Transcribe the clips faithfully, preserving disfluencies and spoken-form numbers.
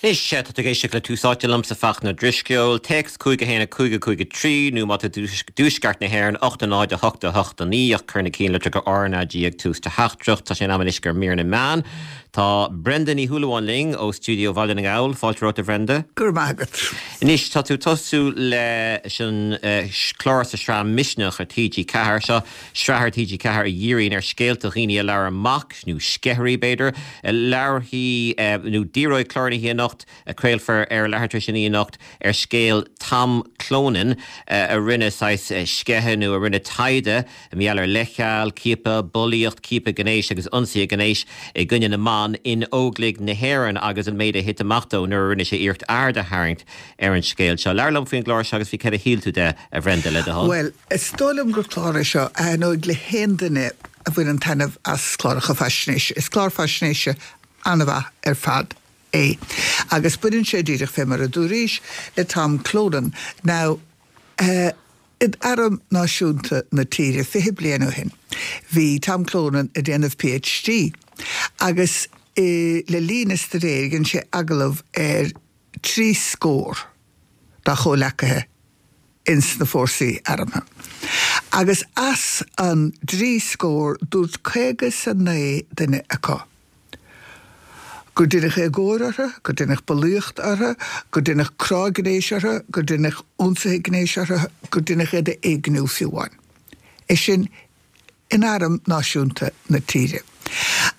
Anois tá tú ag éisteacht le Tús Áite liomsa Fachtna Drisceoil, téacs cúig a haon a cúig a cúig a trí nó má tá i dtuaisceart na hÉireann ocht a náid a hocht a hocht a naoi ach cuir na cinnlitreacha RnaG ag tús do theachtaireacht tá sé in am anois do mhír na meán. Tá Brenda Ní Shúilleabháin linn ó stiúideo Bhaile na nGall, fáilte romhat a Bhrenda. Gur magat. Anois tá tú tosú le sin uh, clár sa sraith Misneach ar TG Ceathair seo sraith ar TG Ceathair a dhíríonn ar scéalta dhaoine a labhair amach nó sceithirí b'fhéidir, labharfaidh uh, nó díreoidh clár na anocht a craolfar ar leathuair tar éis anocht ar scéal Tom Clonan uh, a rinne saghas sceitheadh nó a rinne taighde maidir le leithcheal, ciapadh, bulaíocht, ciapadh gnéis agus ionsaí gnéis i gcoinne na mban in Óglaigh na hÉireann agus an méid a thit amach dó nuair a rinne sé iarracht aird a tharraingt ar an scéal seo. Labhair liom faoin gclár seo agus faoi cad a shíl tú de a Bhrenda le do thoil. Well, is dóigh liom gur clár é seo a thaitneoidh le haon duine a bhaineann taitneamh as cláracha faisnéise. Is clár faisnéise an-mhaith ar fad é. Agus baineann sé díreach fé mar a dúraís le Tom Clonan. Now, uh, in Arm Náisiúnta na tíre fiche bliain ó shin. Bhí Tom Clonan ag déanamh PhD agus e, le linn a staidéir dhein sé agallamh ar trí scór dá chomhleacaithe ins na fórsaí armtha. Agus as an dtrí scór dúirt caoga is a naoi duine acu. Gur deineadh éagóir orthu, gur deineadh bulaíocht orthu, gur deineadh crá gnéis orthu, gur deineadh ionsaithe gnéis orthu, gur deineadh iad a éigniú fiú amháin. É sin in arm náisiúnta na tíre.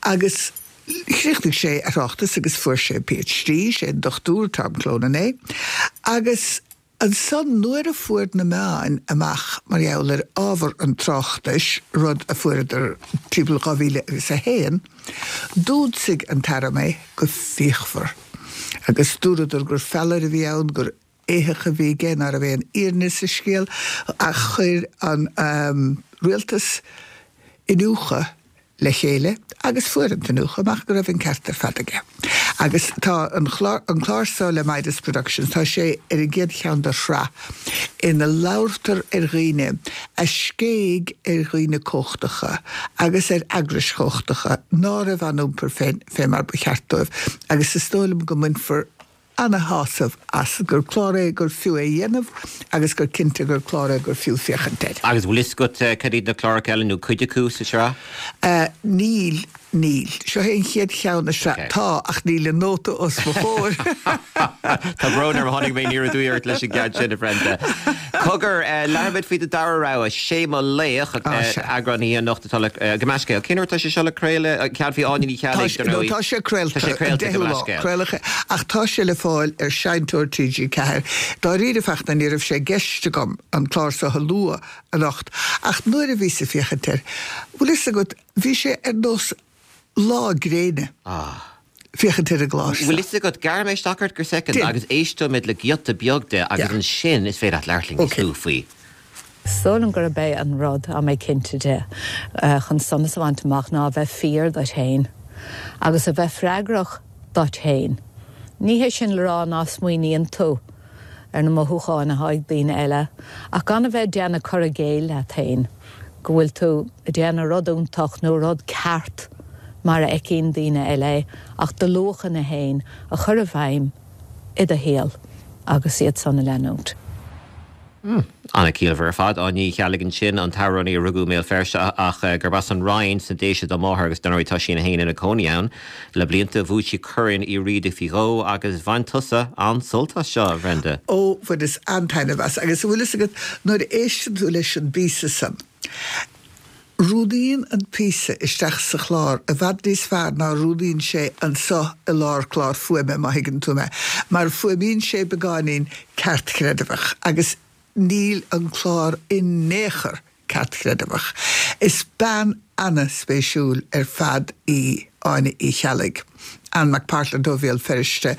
Agus chríochnaigh sé a thráchtas agus fuair sé PhD, sé an Dochtúir Tom Clonan é, agus ansan nuair a fuair na meáin amach mar gheall ar ábhar an tráchtais rud a fuaireadar timpeall dhá mhíle agus a haon, d'ionsaigh an t-arm é go fíochmhar. Agus dúradar gur feallaire a bhí ann gur éitheach a bhí aige nach raibh aon fhírinne sa scéal ach chuir an um, rialtas iniúchadh le chéile agus fuair an t-iniúchadh amach go raibh an ceart ar fad aige. Agus tá an chlár, an clár seo le Midas Productions, tá sé ar an gcéad cheann de shraith ina labhartar ar dhaoine a scéigh ar dhaoine cumhachtacha agus ar eagrais chumhachtacha ná raibh á n-iompar fé, fé mar ba cheart dóibh, agus is dóigh liom go mbainfear ana-shásamh as gur clár é gur fiú é dhéanamh agus gur cinnte gur clár é gur fiú féachaint air. Agus bhfuil fhios agat cad iad na cláracha eile nó cuid acu sa sraith? Uh, níl níl. Seo é an chéad cheann sa Okay. tá ach níl an nóta os mo chomhair. Tá brón orm tháinig mé aniar aduaidh ort leis an gceann sin a Bhrenda. Cogar labhair faoi do dara rogha sé mo laoch Ah, sea. eagrán anocht atá le go meascéil. Cén tá sé seo le craoladh ceann faoi Áine Ní Cheallaigh Tá tá sé craolta Tá sé craolta go meascéil. Craolta ach tá sé le fáil ar seinnteoir TG Ceathair. Dáiríre Fachtna ní raibh sé i gceist agam an clár seo a lua anocht ach nuair a bhíos ag féachaint air. Bhfuil fhios agat bhí sé ar nós lá gréine. Ah. Féachaint ar an gclár. Bhfuil fhios agat gearrfaidh mé isteach ort go soicind Déan. agus éisteoimid le giota beag de agus Yeah. ansin is féidir leat labhairt Okay. níos faoi. Sílim gurb é an rud a mé cinnte de uh, chun sonas a bhaint amach ná a bheith fíor duit féin, agus a bheith freagrach duit féin. Ní hé sin le rá nach smaoiníonn tú ar na mothúcháin atá ag daoine eile, ach gan a bheith déanamh cur i gcéill leat féin, go bhfuil tú ag déanamh rud iontach nó rud ceart mar a fheiceann daoine eile ach do luachanna féin a chur i bhfeidhm i do shaol agus iad san a leanúint. An-chiallmhar ar fad Áine Ní Cheallaigh ansin an t-amhránaí a rugadh i mBéal Feirste ach eh, gurb as an Rinn sna Déise dá máthair agus dar ndóigh tá sí ina ina cónaí ann le blianta bhuaigh sí Corn Uí Riada faoi dhó agus bhain tusa an-sult as seo Bhrenda. Ó bhaineas an-taitneamh as agus bhfuil fhios agat nuair a éisteann tú leis an bpíosa san. Rúnaíonn an píosa isteach sa chlár i bhfad níos fearr ná rúnaíonn sé anseo i lár clár fuaime má thuigeann tú mé, mar fuaimíonn sé beagáinín ceartchreidmheach agus níl an clár in aon chor ceartchreidmheach. Is bean an-spéisiúil ar fad í Áine Uí Cheallaigh. Ann McPartland ó Bhéal Feirste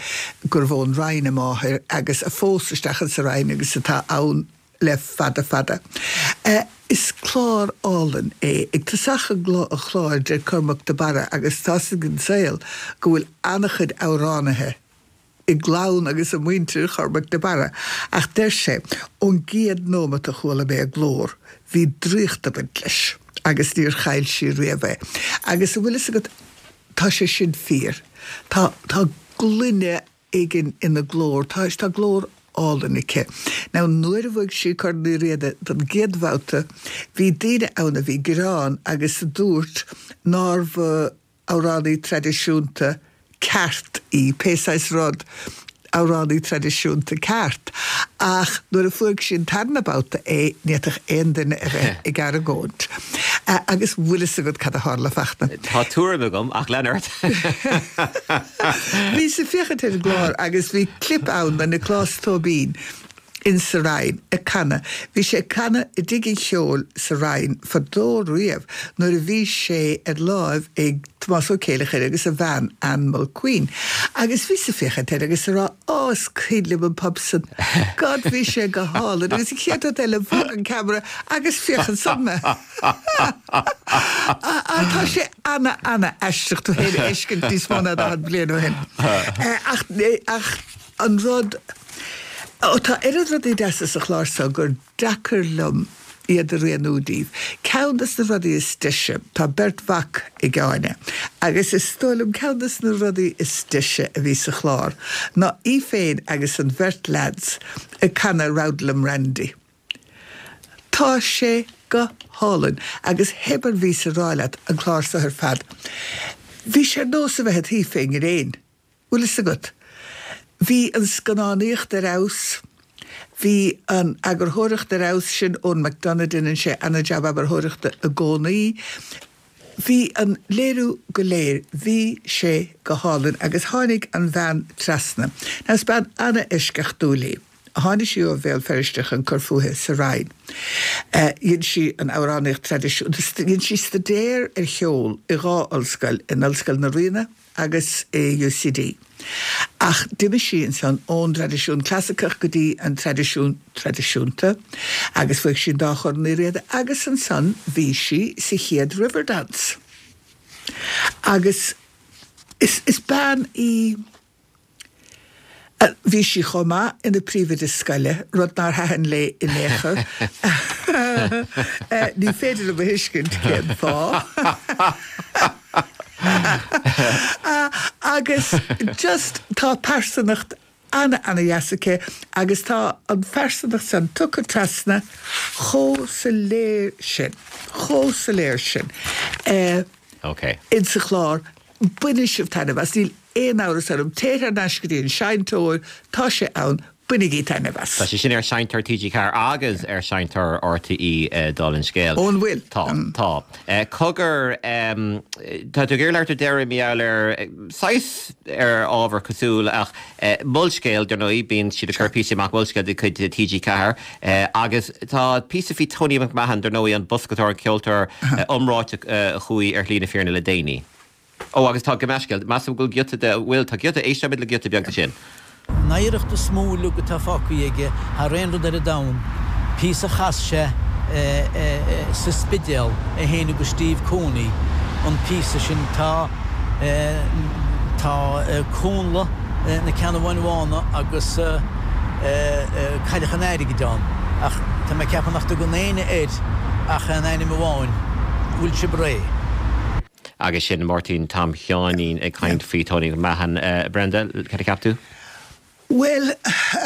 gurbh ón Rinn a máthair agus a phós isteach sa Rinn agus atá ann le fada fada. Uh, is clár álainn é ag tosach an chláir deir Cormac de Barra agus tá an saol go bhfuil an-chuid amhránaithe i gclann agus i muintir Chormac de Barra ach deir sé ón gcéad nóiméad a chuala mé a glór, bhí draíocht ag baint leis agus níor chaill sí riamh é. Agus an bhfuil fhios agat tá sé sin fíor. Tá tá gloine éigin ina glór, tá tá glór álainn aici. Now nuair a bhuaigh sí Corn Uí Riada don gcéad bhabhta, bhí daoine ann a bhí gearán agus a dúirt nárbh amhránaí traidisiúnta ceart í, pé saghas rud amhránaí traidisiúnta ceart. Ach nuair a fuair sí an tarna babhta é ní fhéadfadh aon duine a bheith ag argóint. Agus bhfuil fhios agat cad a tharla Fachtna. Tá tuairim agam ach lean ort. Bhíos ag féachaint ar an gclár agus bhí clip ann de Nioclás Tóibín in sa Rinn ag canadh. Bhí sé ag canadh i dTigh an Cheoil sa Rinn fadó riamh nuair a bhí sé ar láimh ag Tomás Ó Céileachair agus a bhean Anne Mulqueen. Agus bhíos ag féachaint air agus ag rá á is cuimhin liom an pub san. God bhí sé go hálainn agus an chéad rud eile bhog an ceamara agus féach ansan mé. Tá sé ana ana aisteach tú féin a fheiscint níos mó ná daichead bliain ó shin. Ach ach an rud Ó tá oiread rudaí deasa sa chlár seo gur deacair liom iad a rianú daoibh. Ceann de na rudaí is deise, tá beirt mhac ag Áine, agus is dóigh liom ceann de na rudaí is deise a bhí sa chlár ná í féin agus an bheirt lads ag canadh Roudlum Randy. Tá sé go hálainn agus hébar bhí sa rá leat an clár seo ar fad. Bhí sé ar nós a bheith id shuí fén ngréin. Bhfuil fhios agat? Bhí an scannánaíocht ar fheabhas, bhí an eagarthóireacht ar fheabhas, sin Eoin McDonagh, déanann sé ana-jab eagarthóireachta i gcónaí. Bhí an léiriú go léir, bhí sé go hálainn agus tháinig an bhean trasna. Now is bean ana-eisceachtúil í. Tháinig sí ó Bhéal Feirste chun cur fúithi sa Rinn. Dhein sí an amhránaíocht traidisiúnta, dhein sí staidéar ar cheol i dhá ollscoil, in Ollscoil na Ríona agus i UCD. Ach d'imigh sí ansan ón dtraidisiún clasaiceach go dtí an traidisiún traidisiúnta agus bhuaigh sí an dá Chorn Uí Riada agus ansan bhí sí sa chéad Riverdance. Agus is, is bean í Bhí sí chomh maith ina príomhoide scoile, rud nár thaitin léi in aon chor. Ní féidir liom a thuiscint cén fáth. Agus just tá pearsanacht ana ana dheas aici agus tá an phearsanacht san tugtha trasna chomh soiléir sin, chomh soiléir sin. Ok. Insa chlár, bainfidh sibh taitneamh as, níl aon amhras orm, téir thar n-ais go dtí an seinnteoir, tá sé ann, bainigí taitneamh as. Tá sé sin ar Seinnteoir TG Ceathair agus ar Seinnteoir RTÉ dála an scéil. Ó an bhfuil? Tá, tá. Cogar, tá tú ag iarraidh labhairt ar deireadh mar gheall ar saghas ar ábhar cosúil ach Molscéal, dar ndóigh, bíonn siad ag cur píosaí amach Molscéal de chuid TG Ceathair agus tá píosa faoi Tony McMahon, dar ndóigh, an boscatóir, an ceoltóir iomráiteach a chuaigh ar shlí na fírinne le déanaí. Ó, agus tá, gabh mo leithscéal, measaim go bhfuil giota de, bhfuil, tá giota, éisteoimid le giota beag de sin. An oidhreacht is mó uilig atá fágtha aige thar aon rud ar an domhan, píosa a chas sé sa Spidéal, é féin agus Steve Cooney, an píosa sin, tá, tá Connla na Ceannabháin Bhána agus Cailleach an Airgid ann, ach tá mé ag ceapadh nach dtugann éinne air ach aon ainm amháin, Bhfuil sibh réidh? Agus sin Máirtín Tom Sheáinín ag caint faoi Tony McMahon. Brenda, cad a cheap tú? Bhuel,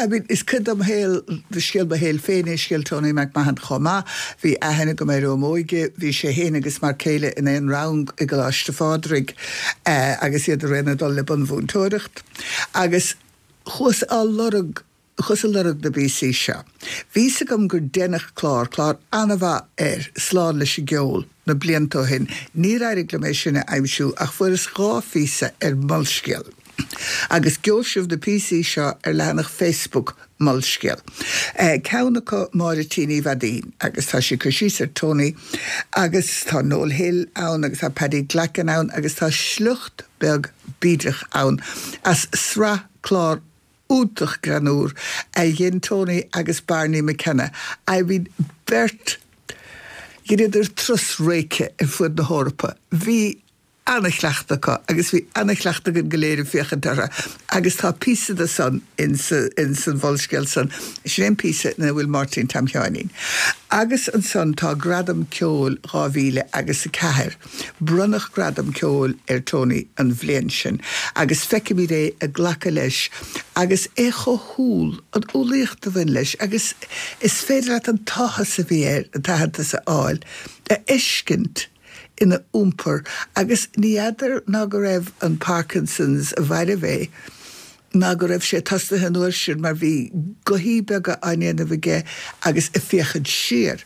I mean, is cuid dom shaol, de scéal mo shaoil féin é scéal Tony McMahon chomh maith. Bhí aithne agam air ó m'óige, bhí sé féin agus m'fhear céile in aon rang i gColáiste Phádraig agus iad araon ag dul le bunmhúinteoireacht. Agus chuas á lorg, chuas ag lorg na bpíosaí seo. Bhí 'fhios agam gur deineadh clár, clár an-mhaith air, Slán leis an gCeol, na blianta ó shin. Níor éirigh liom é sin a aimsiú ach fuaireas dhá phíosa ar Molscéal. Agus gheobhaidh sibh na píosaí seo ar leathanach Facebook Molscéal. Ceann acu Máire T Ní Mhaidín agus tá sí ag cur síos ar Tony agus tá Noel Hill ann agus tá Paddy Glackin ann agus tá sliocht beag bídeach ann as sraith clár iontach greannmhar a dhein Tony agus Barney McKenna. I mean beirt dheineadar turas réice ar fud na hEorpa. Bhí Ana-chleachtadh acu agus bhí ana-chleachtadh againn go léir ag féachaint orthu agus tá píosa de san ins an Mholscéal san, sin é an píosa ina bhfuil Máirtín Tom Sheáinín. Agus ansan tá Gradam Ceoil dhá mhíle agus a ceathair. Bronnadh Gradam Ceoil ar Tony an bhliain sin agus feicimid é ag glacadh leis agus é chomh humhal, an umhlaíocht a bhain leis agus is féidir leat an t-áthas a bhí air an t-aitheantas a fháil a fheiscint. ina iompar agus ní fheadar ná go raibh an Parkinson's a mhairbh é ná go raibh sé tosaithe an uair sin mar bhí gothaí beaga á ndéanamh aige agus ag féachaint siar.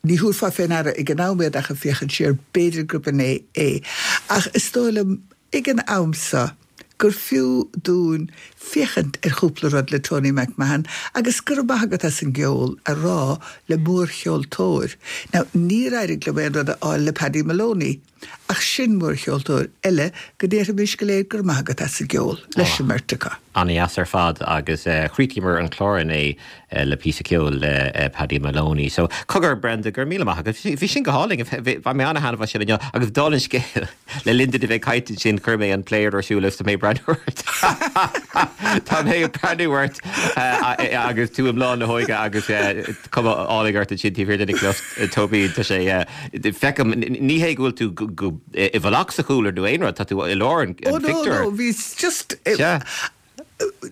Ní thabharfá fé ndeara ag an am iad ach ag féachaint siar b'fhéidir gurb in é é. Ach is dóigh liom ag an am seo gur fiú dúinn féachaint ar chúpla rud le Tony McMahon agus go raibh maith agat as an gceol a rá le mórcheoltóir. Now, níor éirigh liom aon rud a fháil le Paddy Moloney, ach sin mórcheoltóir eile go ndéarfaimis go léir go raibh maith agat as an gceol leis an mbeirt acu. An-dheas ar fad agus chríochnaíomar an clár inné le píosa ceoil le Paddy Moloney. So cogar Brenda, go raibh míle maith agat. Bhí sin go hálainn, bhain mé an-thaitneamh as sin inniu agus dála an scéil le linn duit a bheith ag caint ansin chuir mé an player ar siúl agus tá mé ag breathnú ort. Tá mé ag breathnú ort agus tú i mbláth na hóige agus cuma álainn ort ansin taobh thiar de Nicholas Tóibín. Tá sé feicim ní hé go bhfuil tú i bhfolach sa chúlra nó aon rud, tá tú i lár an phictiúir. Oh no, no, bhí just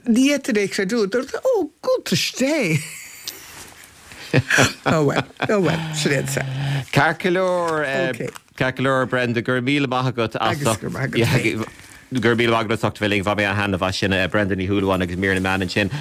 Ní fhéadfainn é a chreidiúint, dúirt ó, cuntas Dé! Oh well, oh well, sin é an saol. Ceart go leor, ceart go leor, Brenda, go raibh míle maith agat as Agus go raibh maith agat féin. Go raibh míle maith agat as ucht a bheith linn, bhain mé an-taitneamh as sin, Brenda Ní Shúilleabháin agus mír na meán ansin.